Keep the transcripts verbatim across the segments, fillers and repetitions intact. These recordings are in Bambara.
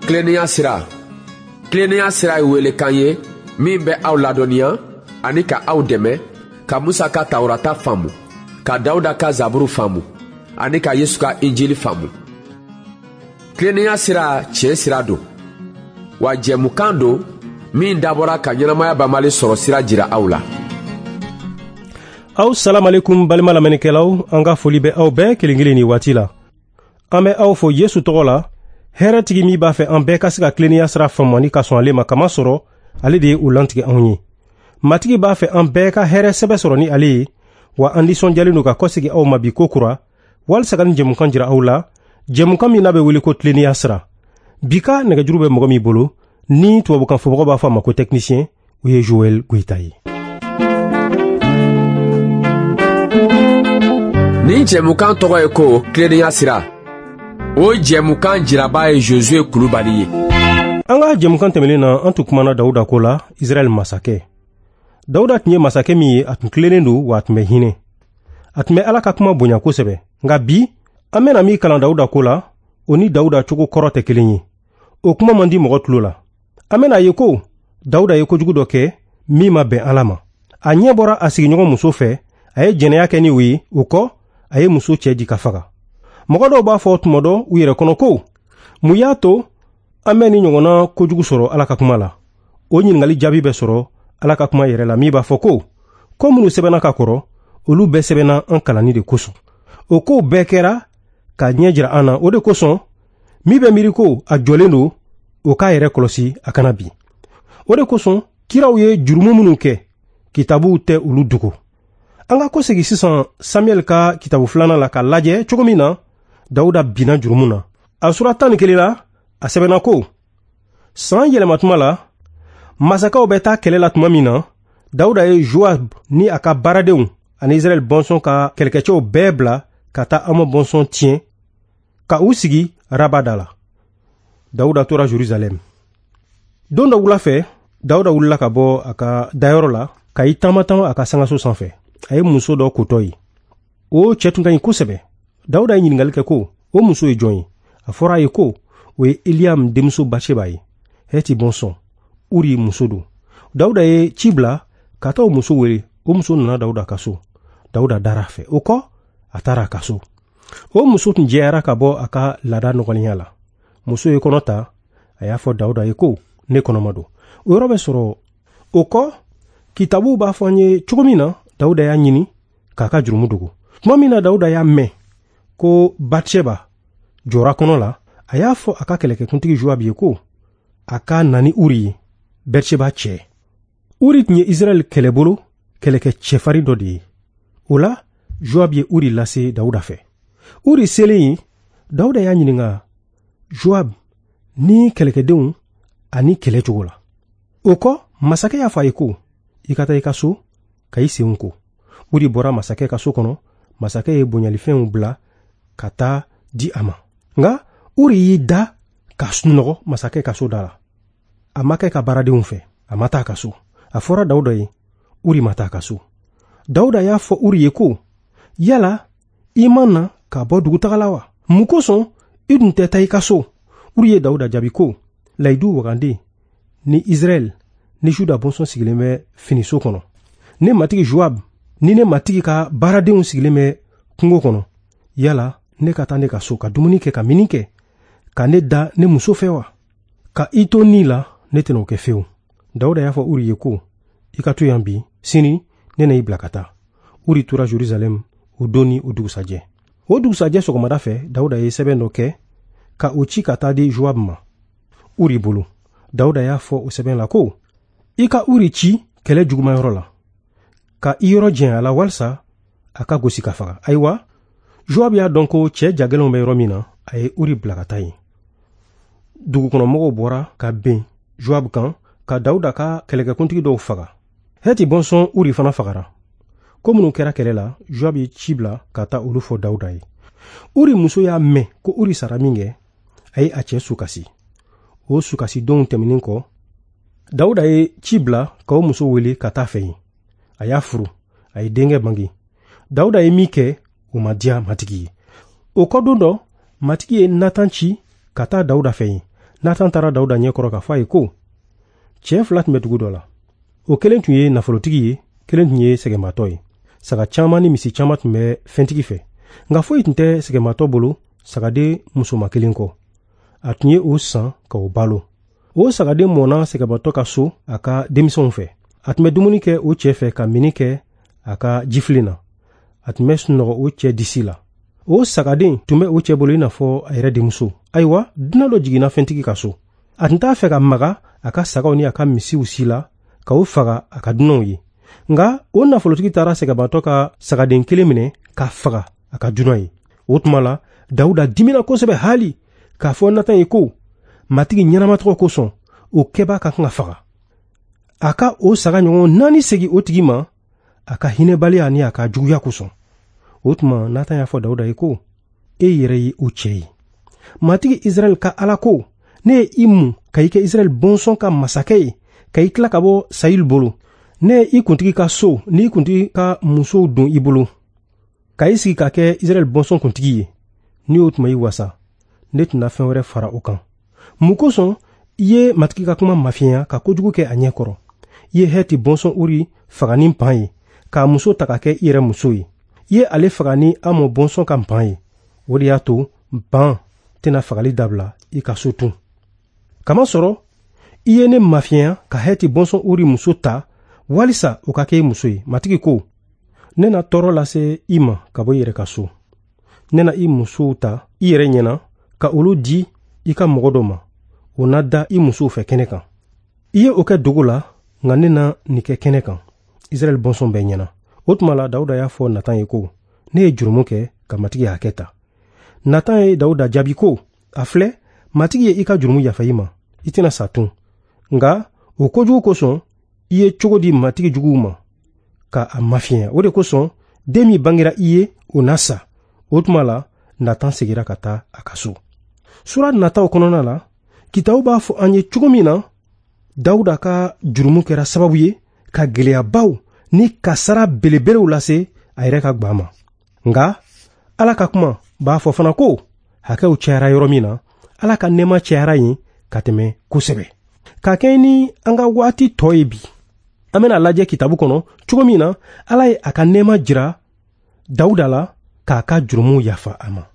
Tilennenya sira. Tilennenya sira ye welekan ye min bɛ aw ladɔnniya ani ka aw dɛmɛ ka Musa ka Tawurata faamu, ka Dawuda ka Zaburu faamu ani ka Yesu ka Injili faamu. Tilennenya sira tiɲɛ sira don, wa jɛmukan don min dabɔra ka ɲɛnamaya banbali sɔrɔ sira jira aw la. Aw salamalekum balima lamɛnnikɛlaw, an ka foli bɛ aw bɛɛ kelen kelen nin waati la. An bɛ aw fo Yesu tɔgɔ la, hɛrɛtigi min b'a fɛ an bɛɛ ka se ka tilennenya sira faamu ani ka sɔn ale ma, kamasɔrɔ ale de ye o lantigɛ anw ye. Matigi b'a fɛ an bɛɛ ka hɛrɛ sɛbɛ sɔrɔ ni ale ye, wa an nisɔndiyalen don ka kɔsegin aw ma bi ko kura, walisa ka nin jɛmukan jira aw la, jɛmukan min n'a bɛ wele ko tilennenya sira. Bi ka nɛgɛjuru bɛ mɔgɔ min bolo, ni tubabukan fɔbagaw b'a fɔ a ma ko technicien, o ye Joël Goïta ye. Nin jɛmukan tɔgɔ ye ko tilennenya sira. O jɛmukan jiraba ye Josué Kulubali ye. An ka jɛmukan tɛmɛnen na, an tun kumana Dawuda ko la, Israɛl masakɛ. Dawuda tun ye masakɛ min ye, a tun tilennen don wa a tun bɛ hinɛ. A tun bɛ Ala ka kuma bonya kosɛbɛ. Nka bi, an bɛna min kalan Dawuda ko la, o ni Dawuda cogo kɔrɔ tɛ kelen ye. O kuma man di mɔgɔ tulo la. An bɛna ye ko Dawuda ye kojugu dɔ kɛ min ma bɛn Ala ma. A ɲɛ bɔra a sigiɲɔgɔn muso fɛ, a ye jɛnɛya kɛ ni o ye, o kɔ a ye muso cɛ di ka faga. Mɔgɔ dɔw b'a fɔ tuma dɔ u yɛrɛ kɔnɔ ko mun y'a to an bɛ ni ɲɔgɔnna kojugu sɔrɔ Ala ka kuma la? O ɲininkali jaabi bɛ sɔrɔ Ala ka kuma yɛrɛ la min b'a fɔ ko ko minnu sɛbɛnna ka kɔrɔ, olu bɛɛ sɛbɛnna an kalanni de kosɔn. O kow bɛɛ kɛra k'a ɲɛ jira an na. O de kosɔn min bɛ miiri ko a jɔlen don, o k'a yɛrɛ kɔlɔsi a kana bin. O de kosɔn kiraw ye jurumu minnu kɛ, kitabuw tɛ olu dogo. An ka kɔsegin sisan Samuɛl ka kitabu filanan la k'a lajɛ cogo min na Dawuda binna jurumu na. A sura tan ni kelen la, a sɛbɛnna ko san yɛlɛmatuma la, masakɛw bɛ taa kɛlɛ la tuma min na, Dawuda ye Joab ni a ka baaradenw ani Israɛl bɔnsɔn ka kɛlɛkɛcɛw bɛɛ bila ka taa Amɔn bɔnsɔn tiɲɛ ka u sigi Raba da la. Dawuda tora Jerusalɛm. Don dɔ wula fɛ, Dawuda wulila ka bɔ a ka dayɔrɔ la ka i taama taama a ka sangaso sanfɛ. A ye muso dɔ kotɔ ye. O cɛ tun ka ɲi kosɛbɛ. Dawuda ye ɲininkali kɛ ko o muso ye jɔn ye? A fɔra a ye ko o ye Eliam denmuso Batseba ye, Hɛti bɔnsɔn, Uri muso don. Dawuda ye ci bila ka taa o muso wele. O muso nana Dawuda ka so. Dawuda dara a fɛ. O kɔ, a taara a ka so. O muso tun jɛyara ka bɔ a ka laada nɔgɔlenya la. Muso ye kɔnɔ ta, a y'a fɔ Dawuda ye ko ne kɔnɔma don. O yɔrɔ bɛ sɔrɔ. O kɔ, kitabuw b'a fɔ an ye cogo min na, Dawuda y'a ɲini k'a ka jurumu dogo. Tuma min na Dawuda y'a mɛn ko Batseba jɔra kɔnɔ la, a y'a fɔ a ka kɛlɛkɛkuntigi Joab ye ko a ka na ni Uri ye, Batseba cɛ. Uri tun ye Israɛl kɛlɛbolo kɛlɛkɛ cɛfarin dɔ de ye. O la, Joab ye Uri lase Dawuda fɛ. Uri selen yen, Dawuda y'a ɲininka Joab ni kɛlɛkɛdenw ani kɛlɛ cogo la. O kɔ, masakɛ y'a fɔ a ye ko i ka taa i ka so ka i senw ko. Uri bɔra masakɛ ka so kɔnɔ, masakɛ ye bonyalifɛnw bila ka taa di a ma. Nka Uri y'i da ka sunɔgɔ masakɛ ka so da la. A ma kɛ ka baaradenw fɛ, a ma taa a ka so. A fɔra Dawuda ye, Uri ma taa a ka so. Dawuda y'a fɔ Uri ye ko yala i ma na ka bɔ dugutaga la wa? Mun kosɔn i dun tɛ taa i ka so? Uri ye Dawuda jaabi ko layidu wagande ni Israɛl ni Juda bɔnsɔn sigilen bɛ finiso kɔnɔ. Ne matigi Joab ni ne matigi ka baaradenw sigilen bɛ kungo kɔnɔ. Yala ne ka taa ne ka so ka dumuni kɛ ka mini kɛ ka ne da ne muso fɛ wa? Ka i to ni la, ne tɛna o kɛ fewu. Dawuda y'a fɔ Uri ye ko i ka to yan bi, sini ne na i bila ka taa. Uri tora Jerusalɛm o don ni o dugusajɛ. O dugusajɛ sɔgɔmada fɛ, Dawuda ye sɛbɛn dɔ kɛ ka o ci ka taa di Joab ma Uri bolo. Dawuda y'a fɔ o sɛbɛn la ko i ka Uri ci kɛlɛ jugumayɔrɔ la, ka i yɔrɔ janya a la walisa a ka gosi ka faga. Ayiwa, Joab y'a dɔn ko cɛ jagɛlɛnw bɛ yɔrɔ min na, a ye Uri bila ka taa yen. Dugukɔnɔmɔgɔw bɔra ka ben Joab kan ka Dawuda ka kɛlɛkɛkuntigi dɔw faga. Hɛti bɔnsɔn Uri fana fagara. Ko minnu kɛra kɛlɛ la, Joab ye ci bila ka taa olu fɔ Dawuda ye. Uri muso y'a mɛn ko Uri sara min kɛ, a ye a cɛ sukasi. O sukasidenw tɛmɛnen kɔ, Dawuda ye ci bila ka o muso wele ka taa fɛ yen. A y'a furu, a ye denkɛ bange. Dawuda ye min kɛ, o ma diya Matigi ye. O kɔ don dɔ, Matigi ye Natan ci ka taa Dawuda fɛ yen. Natan taara Dawuda ɲɛkɔrɔ k'a fɔ a ye ko cɛ fila tun bɛ dugu dɔ la. O kelen tun ye nafolotigi ye, kelen tun ye sɛgɛnbaatɔ ye. Saga caman ni misi caman tun bɛ fɛntigi fɛ, nka foyi tun tɛ sɛgɛnbaatɔ bolo sagaden musoma kelen kɔ. A tun ye o san ka o balo. O sagaden mɔnna sɛgɛnbaatɔ ka so a ka denmisɛnw fɛ. A tun bɛ dumuni kɛ o cɛ fɛ ka minni kɛ a ka jifilen na. A tun bɛ sunɔgɔ o cɛ disi la. O sagaden tun bɛ o cɛ bolo i n'a fɔ a yɛrɛ denmuso. Ayiwa, dunan dɔ jiginna fɛntigi ka so. A tun t'a fɛ ka maga a ka sagaw ni a ka misiw si la ka o faga a ka dunanw ye. Nka o nafolotigi taara sɛgɛnbaatɔ ka sagaden kelen minɛ k'a faga a ka dunan ye. O tuma la, Dawuda dimina kosɛbɛ hali k'a fɔ Natan ye ko Matigi ɲɛnama tɔgɔ kosɔn, o kɛbaa ka kan ka faga. A ka o saga ɲɔgɔn naani segin o tigi ma a ka hinɛbaliya ni a ka juguya kosɔn. O tuma Natan y'a fɔ Dawuda ye ko e yɛrɛ ye o cɛ ye. Matigi Israɛl ka Ala ko, ne ye i mun ka i kɛ Israɛl bɔnsɔn ka masakɛ ye, ka i tila ka bɔ Sayil bolo. Ne ye i kuntigi ka so ni i kuntigi ka musow don i bolo, ka i sigi ka kɛ Israɛl bɔnsɔn kuntigi ye. Ni o tuma i wasa, ne tɛna fɛn wɛrɛ fara o kan. Mun kosɔn i ye Matigi ka kuma mafiɲɛya ka kojugu kɛ a ɲɛ kɔrɔ? I ye Hɛti bɔnsɔn Uri faga ni npan ye, k'a muso ta ka kɛ i yɛrɛ muso ye. I ye ale faga ni Amɔn bɔnsɔn ka npan ye. O de y'a to ban tɛna fagali dabila i ka so tun. Kamasɔrɔ i ye ne mafiɲɛya ka Hɛti bɔnsɔn Uri muso ta walisa o ka kɛ i muso ye. Matigi ko, ne na tɔɔrɔ lase i ma ka bɔ i yɛrɛ ka so. Ne na i musow ta i yɛrɛ ɲɛna ka olu di i ka mɔgɔ dɔ ma. O na da i musow fɛ kɛnɛ kan. I ye o kɛ dogo la, nka ne na nin kɛ kɛnɛ kan Israɛl bɔnsɔn bɛɛ ɲɛna. O tuma la, Dawuda y'a fɔ Natan ye ko ne ye jurumu kɛ ka Matigi hakɛ ta. Natan ye Dawuda jaabi ko, a filɛ, Matigi ye i ka jurumu yafa i ma, i tɛna sa tun. Nka o kojugu kosɔn i ye cogo di Matigi juguw ma ka a mafiɲɛya. O de kosɔn den min bangera i ye, o na sa. O tuma la, Natan seginna ka taa a ka so. Sura nataw kɔnɔna la, kitabu b'a fɔ an ye cogo min na Dawuda ka jurumu kɛra sababu ye ka gɛlɛyabaw ni kasara belebelew lase a yɛrɛ ka gwan ma. Nka Ala ka kuma b'a fɔ fana ko hakɛw cayara yɔrɔ min na, Ala ka nɛɛma cayara yen ka tɛmɛ kosɛbɛ. Ka kɛɲɛ ni an ka waati tɔ ye bi, an bɛna lajɛ kitabu kɔnɔ cogo min na Ala ye a ka nɛɛma jira Dawuda la k'a ka jurumu yafa a ma.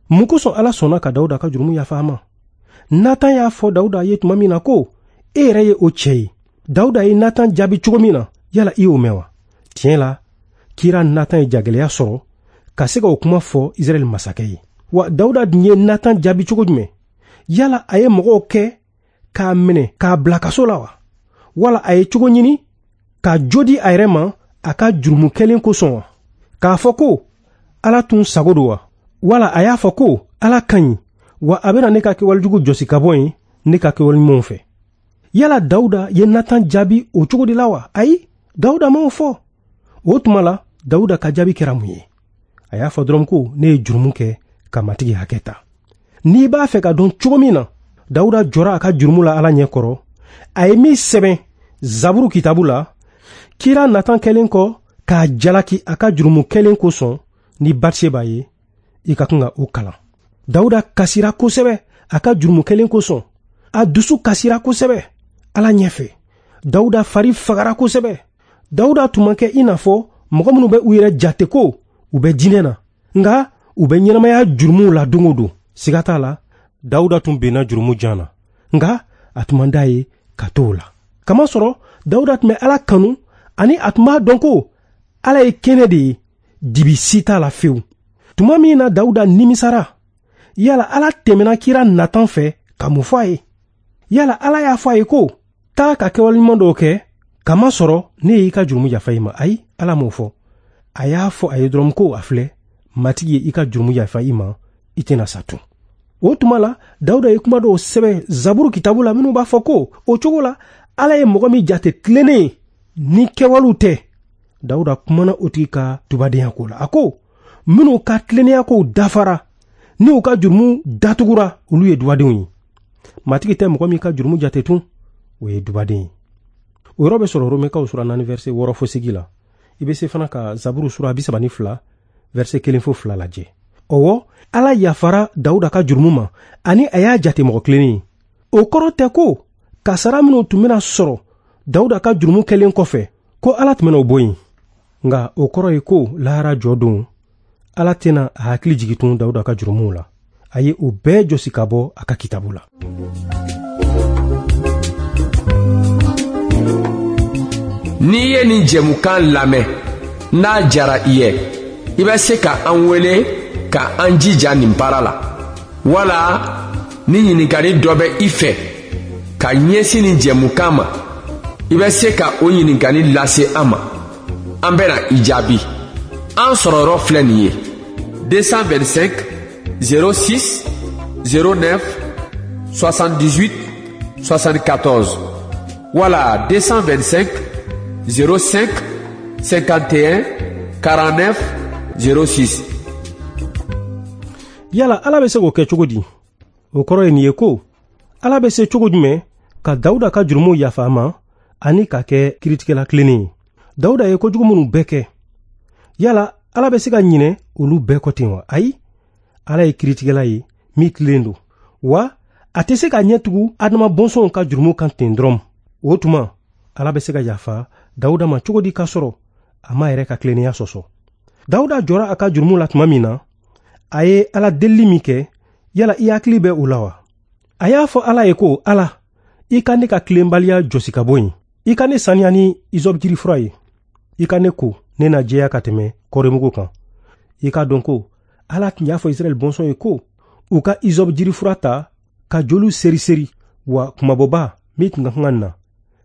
Mun kosɔn Ala sɔnna ka Dawuda ka jurumu yafa a ma? Natan y'a fɔ Dawuda ye tuma min na ko e yɛrɛ ye o cɛ ye. Dawuda ye Natan jaabi cogo min na, yala i y'o mɛn wa? Tiɲɛ la, kira Natan ye jagɛlɛya sɔrɔ ka se ka o kuma fɔ Israɛl masakɛ ye. Wa Dawuda dun ye Natan jaabi cogo jumɛn? Yala a ye mɔgɔw kɛ k'a minɛ k'a bila kaso la wa? Wala a ye cogo ɲini ka jo di a yɛrɛ ma a ka jurumu kɛlen kosɔn wa? K'a fɔ ko Ala tun sago don wa? Wala a y'a fɔ ko Ala ka ɲi, wa a bɛna ne ka kɛwalejugu jɔsi ka bɔ yen ne ka kɛwale ɲumanw fɛ. Yala Dawuda ye Natan jaabi o cogo de la wa? Ayi, Dawuda m'o fɔ. O tuma la, Dawuda ka jaabi kɛra mun ye? A y'a fɔ dɔrɔn ko ne ye jurumu kɛ ka Matigi hakɛ ta. N'i b'a fɛ ka dɔn cogo min na Dawuda jɔra a ka jurumu la Ala ɲɛ kɔrɔ, a ye min sɛbɛn Zaburu kitabu la, kira Natan kɛlen kɔ k'a jalaki a ka jurumu kɛlen kosɔn ni Batseba ye, i ka kan ka o kalan. Dawuda kasira kosɛbɛ a ka jurumu kɛlen kosɔn. A dusu kasira kosɛbɛ Ala ɲɛfɛ. Dawuda fari fagara kosɛbɛ. Dawuda tun man kɛ i n'a fɔ mɔgɔ minnu bɛ u yɛrɛ jate ko u bɛ diinɛ na, nka u bɛ ɲɛnamaya jurumuw la don o don. Siga t'a la, Dawuda tun benna jurumu jan na, nka a tun man d'a ye ka to o la. Kamasɔrɔ Dawuda tun bɛ Ala kanu ani a tun b'a dɔn ko Ala ye kɛnɛ de ye, dibi si t'a la fewu. Tuma min na Dawuda nimisara, yala Ala tɛmɛna kira Natan fɛ ka mun fɔ a ye? Yala Ala y'a fɔ a ye ko taa ka kɛwale ɲuman dɔw kɛ, kamasɔrɔ ne y'i ka jurumu yafa i ma? Ayi, Ala m'o fɔ. A y'a fɔ a ye dɔrɔn ko a filɛ, Matigi ye i ka jurumu yafa i ma, i tɛna sa tun. O tuma la, Dawuda ye kuma dɔw sɛbɛn Zaburu kitabu la minnu b'a fɔ ko o cogo la Ala ye mɔgɔ min jate tilennen ye ni kɛwalew tɛ. Dawuda kumana o tigi ka tubadenya ko la. A ko minnu ka tilennenya kow dafara ni u ka jurumu datugura, olu ye dubadenw ye. Matigi tɛ mɔgɔ min ka jurumu jate tun, o ye dubaden ye. O yɔrɔ bɛ sɔrɔ Romɛkaw sura naani verset wɔɔrɔ fo seegin la. I bɛ se fana ka Zaburu sura bi saba ni fila verset kelen fo fila lajɛ. Ɔwɔ, Ala yafara Dawuda ka jurumu ma ani a y'a jate mɔgɔ tilennen ye. O kɔrɔ tɛ ko kasara minnu tun bɛna sɔrɔ Dawuda ka jurumu kɛlen kɔfɛ ko Ala tun bɛna o bɔ yen. Nka o kɔrɔ ye ko lahara jɔ don, Ala tɛna a hakili jigin tun Dawuda ka jurumuw la. A ye o bɛɛ jɔsi ka bɔ a ka kitabu la. N'i ye nin jɛmukan lamɛn, n'a diyara i ye, i bɛ se ka an wele ka an jija nin baara la. Wala ni ɲininkali dɔ bɛ i fɛ ka ɲɛsin nin jɛmukan ma, i bɛ se ka o ɲininkali lase an ma. An bɛna i jaabi. An sɔrɔyɔrɔ filɛ nin ye: deux cent vingt-cinq zéro six zéro neuf soixante-dix-huit soixante-quatorze wala deux cent vingt-cinq zéro cinq cinquante et un quarante-neuf zéro six. Yala Ala bɛ se k'o kɛ cogo di? O kɔrɔ ye nin ye ko Ala bɛ se cogo jumɛn ka Dawuda ka jurumu yafa a ma ani ka kɛ kiiritigɛla tilennen ye? Dawuda ye kojugu minnu bɛɛ kɛ, yala Ala bɛ se ka ɲinɛ olu bɛɛ kɔ ten wa? Ayi, Ala ye kiiritigɛla ye min tilen don, wa a tɛ se ka ɲɛ tugu Adama bɔnsɔnw ka jurumu kan ten dɔrɔn. O tuma Ala bɛ se ka yafa Dawuda ma cogo di k'a sɔrɔ a ma yɛrɛ ka tilennenya sɔsɔ? Dawuda jɔra a ka jurumu la tuma min na, a ye Ala delili min kɛ, yala i hakili bɛ o la wa? A y'a fɔ Ala ye ko: Ala, i ka ne ka tilenbaliya jɔsi ka bɔ yen, i ka ne saniya ni izɔbu jirifura ye, i ka ne ko ne na jɛya ka tɛmɛ kɔrimugu kan. I k'a dɔn ko Ala tun y'a fɔ Israɛl bɔnsɔn ye ko u ka izɔbu jirifura ta ka joliw seri-seri, wa kumabɔba min tun ka kan ka na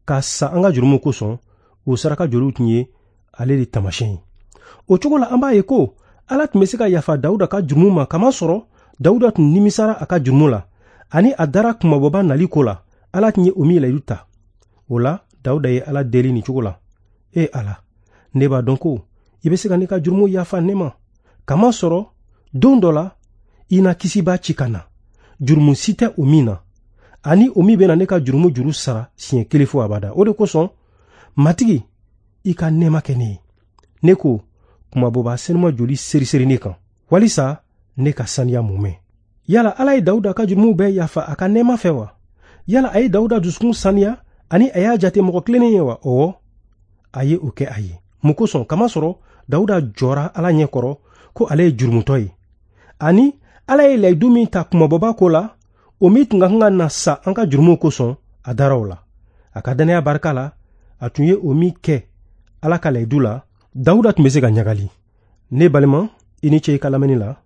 ka sa an ka jurumu kosɔn, o saraka joliw tun ye ale de taamasiyɛn ye. O cogo la an b'a ye ko Ala tun bɛ se ka yafa Dawuda ka jurumu ma, kamasɔrɔ Dawuda tun nimisara a ka jurumu la ani a dara kumabɔba nali ko la, Ala tun ye o min layidu ta. O la Dawuda ye Ala deli nin cogo la: E Ala, ne b'a dɔn ko i bɛ se ka ne ka jurumu yafa ne ma, kamasɔrɔ don dɔ la i na kisibaa ci ka na, jurumu si tɛ o min na, ani o min bɛna ne ka jurumu juru sara siɲɛ kelen fo abada. O de kosɔn, Matigi, i ka nɛɛma kɛ ne ye. Ne ko kumabɔba senuma joli seriseri ne kan, walisa ne ka saniya mumɛ. Yala Ala ye Dawuda ka jurumuw bɛɛ yafa a ka nɛɛma fɛ wa? Yala a ye Dawuda dusukun saniya ani a y'a jate mɔgɔ tilennen ye wa? Ɔwɔ, a ye o kɛ a ye. Mun kosɔn? Kamasɔrɔ Dawuda jɔra Ala ɲɛ kɔrɔ ko ale ye jurumutɔ ye, ani Ala ye layidu min ta kumabɔba ko la, o min tun ka kan ka na sa an ka jurumuw kosɔn, a dara o la. A ka dannaya barika la, a tun ye o min kɛ Ala ka layidu la, Dawuda tun bɛ se ka ɲagali. Ne balima, i ni ce i ka lamɛnni la.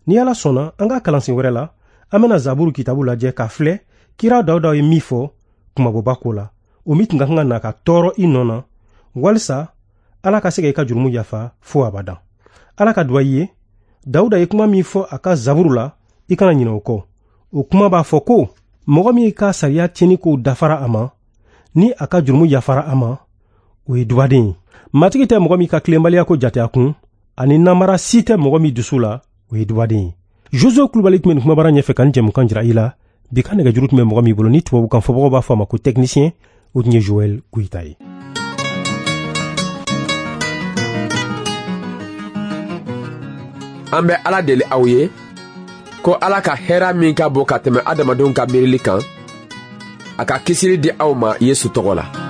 Ni Ala sɔnna, an ka kalansen wɛrɛ la, an bɛna Zaburu kitabu lajɛ k'a filɛ kira Dawuda ye min fɔ kumabɔba ko la, o min tun ka kan ka na ka tɔɔrɔ i nɔ na, walisa Ala ka se ka i ka jurumu yafa fo abada. Ala ka duwa i ye. Dawuda ye kuma min fɔ a ka Zaburu la, i kana ɲinɛ o kɔ. O kuma b'a fɔ ko mɔgɔ min ka sariya tiɲɛni kow dafara a ma, ni a ka jurumu yafara a ma, o ye dubaden ye. Matigi tɛ mɔgɔ min ka tilenbaliya ko jate a kun, ani namara si tɛ mɔgɔ min dusu la, o ye dubaden ye. Josué Kulubali tun bɛ nin kumabara ɲɛfɛ ka nin jɛmukan jira i la. Bi ka nɛgɛjuru tun bɛ mɔgɔ min bolo ni tubabukan fɔbagaw b'a fɔ a ma ko technicien, o tun ye Joël Goyita ye. An bɛ Ala deli aw ye ko Ala ka hɛrɛ min ka bon ka tɛmɛ adamadenw ka miirili kan, a ka kisili di aw ma Yesu tɔgɔ la.